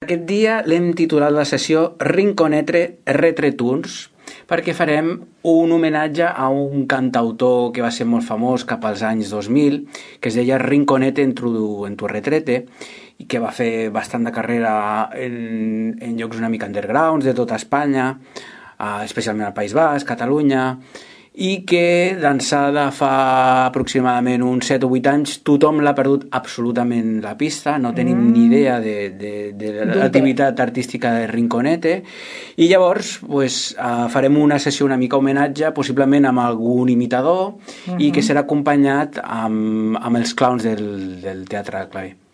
Aquest dia l'hem titulat la sessió Rinconete Retretuns perquè farem un homenatge a un cantautor que va ser molt famós cap als anys 2000, que es deia Rinconete en tu retrete, i que va fer bastant de carrera en llocs una mica undergrounds de tota Espanya, especialment al País Basc, Catalunya, i que d'ençà de fa aproximadament uns 7 o 8 anys tothom l'ha perdut absolutament la pista, no tenim ni idea de l'activitat artística de Rinconete, i llavors farem una sessió una mica homenatge, possiblement amb algun imitador, i que serà acompanyat amb els clowns del Teatre Clavé.